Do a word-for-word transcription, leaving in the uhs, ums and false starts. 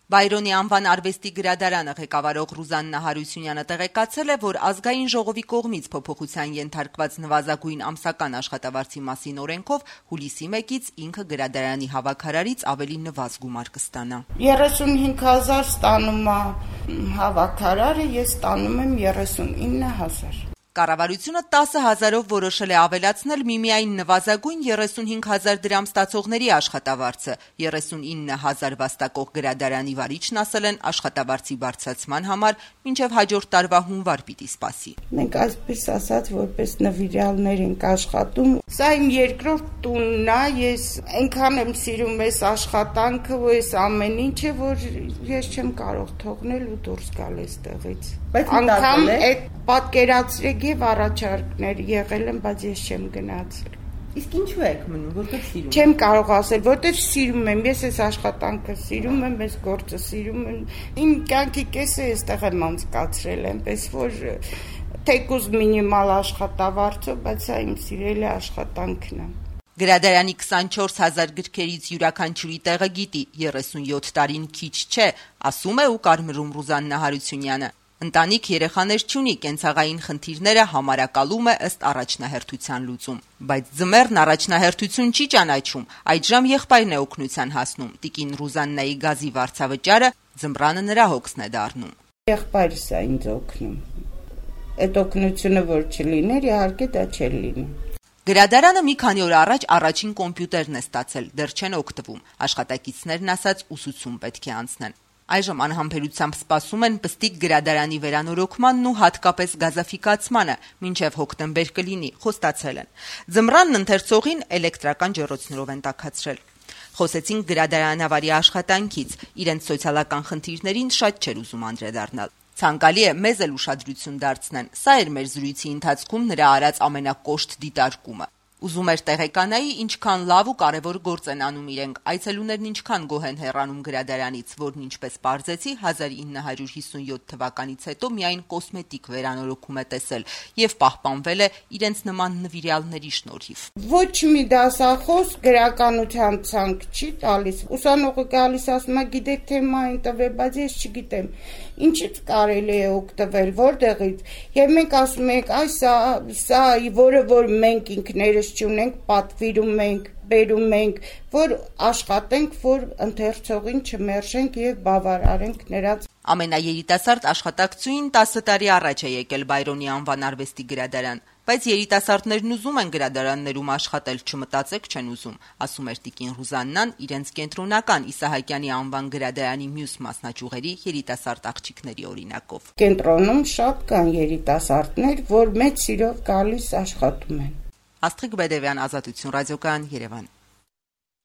Բայրոնի անվան արվեստի գրադարանը ղեկավարող Ռուզաննա Հարությունյանը տեղեկացել է, որ ազգային ժողովի կողմից փոփոխության ենթարկված նվազագույն ամսական աշխատավարձի մասին օրենքով հուլիսի մեկից ինքը գրադարանի հավաքարարից ավելի նվազ գումար կստանա։ երեսունհինգ հազար ստանում է հավաքարարը, ես ստանում եմ երեսունինը հազար։ Կառավարությունը տասը հազարով որոշել է ավելացնել միմիայն նվազագույն երեսունհինգ հազար դրամ ստացողների աշխատավարձը։ երեսունինը հազար վաստակող գրադարանի վարիչն ասել են աշխատավարձի բարձրացման համար մինչև հաջորդ տարվա հունվար պիտի սպասի։ Մենք այսպես ասած որպես նվիրյալներ ենք աշխատում։ Սա իմ երկրորդ տունն է, ես այնքան եմ սիրում այս աշխատանքը ու այս ամեն ինչը, որ ես չեմ կարող թողնել ու դուրս գալ այստեղից։ Անգամ այդ պատկերացրեք եւ առաջարկներ եղել են, բայց ես չեմ գնացել։ Իսկ ինչու եք մնում, որտեղ սիրում եք։ Չեմ կարող ասել, որտեղ սիրում եմ, ես այս աշխատանքը սիրում եմ, այս գործը սիրում եմ։ Իմ կյանքի կեսը այստեղ եմ անցկացրել, այնպես որ թեկուզ մինիմալ աշխատավարձով, բայց սա իմ սիրելի աշխատանքն է։ Գրադարանի քսանչորս հազար գրքերից յուրաքանչյուրի տեղը գիտի, երեսունյոթ տարին քիչ չէ, ասում է ու կարմրում Ռուզաննա Հարությունյանը։ Ընտանիք երեխաներ չունի, կենցաղային խնդիրները համարակալում է ըստ առաջնահերթության լուծում, բայց ձմեռն առաջնահերթություն չի ճանաչում, այդժամ եղբայրն է օգնության հասնում, տիկին Ռուզաննայի գազի վարձավճարը ձմռանը նրա հոգսն է դառնում։ Եղբայրս է ինձ օգնում, այդ օգնությունը որ չլիներ, իհարկե դա չէր լինի։ Գրադարանը մի քանի օր առաջ առաջին կոմպյուտերն է ստացել, դեռ չեն օգտվում, աշխատակիցներն ասած ուսուցում պետք է անցնեն։ Այժմ անհամբերությամբ սպասում են պստիկ գրադարանի վերանորոգմանն ու հատկապես գազաֆիկացմանը, մինչև հոկտեմբեր կլինի, խոստացել են։ Ձմռանն ընթերցողին էլեկտրական ջեռոցներով են տաքացրել։ Խոսեցին գրադարանավարի աշխատանքից, իրենց սոցիալական խնդիրներին շատ չէր ուզում անդրադառնալ։ Ցանկալի է մեզ էլ ուշադրություն դարձնեն, սա էր մեր զրույցի ընթացքում նրա արած ամենակոշտ դիտարկումը։ Ուզում էր տեղեկանայի, ինչքան լավ ու կարևոր գործ են անում իրենք, այցելուներն ինչքան գոհ են հեռանում գրադարանից, որն ինչպես պարզեցի հազար ինը հարյուր հիսունյոթ թվականից հետո միայն կոսմետիկ վերանորոգում է տեսել եւ պահպանվել է իրենց նման նվիրյալների շնորհիվ։ Ոչ մի դասախոս գրականության ցանկ չի տալիս։ Ուսանողը գալիս ասում է, գիտեք թեմային տվե, բայց ես չգիտեմ։ Ինչից կարելի է օգտվել, որտեղից։ Եվ մենք ասում ենք, այ սա, սա, որը որ մենք ինքներս չունենք, պատվիրում ենք, բերում ենք, որ աշխատենք, որ ընթերցողին չմերժենք եւ բավարարենք նրանց։ Ամենաերիտասարդ աշխատակցուին տասը տարի առաջ է եկել Բայրոնի անվան արվեստի գրադարան, բայց երիտասարդներն ուզում են գրադարաններում աշխատել, չմտածեք չեն ուզում, ասում էր տիկին Ռուզաննան իրենց կենտրոնական Իսահակյանի անվան գրադարանի մյուս մասնաճյուղերի երիտասարդ աղջիկների օրինակով։ Կենտրոնում շատ կան երիտասարդներ, որ մեծ սիրով գալիս աշխատում են։ Աստղիկ Բեդևյան, Ազատություն ռադիոկայան, Երևան։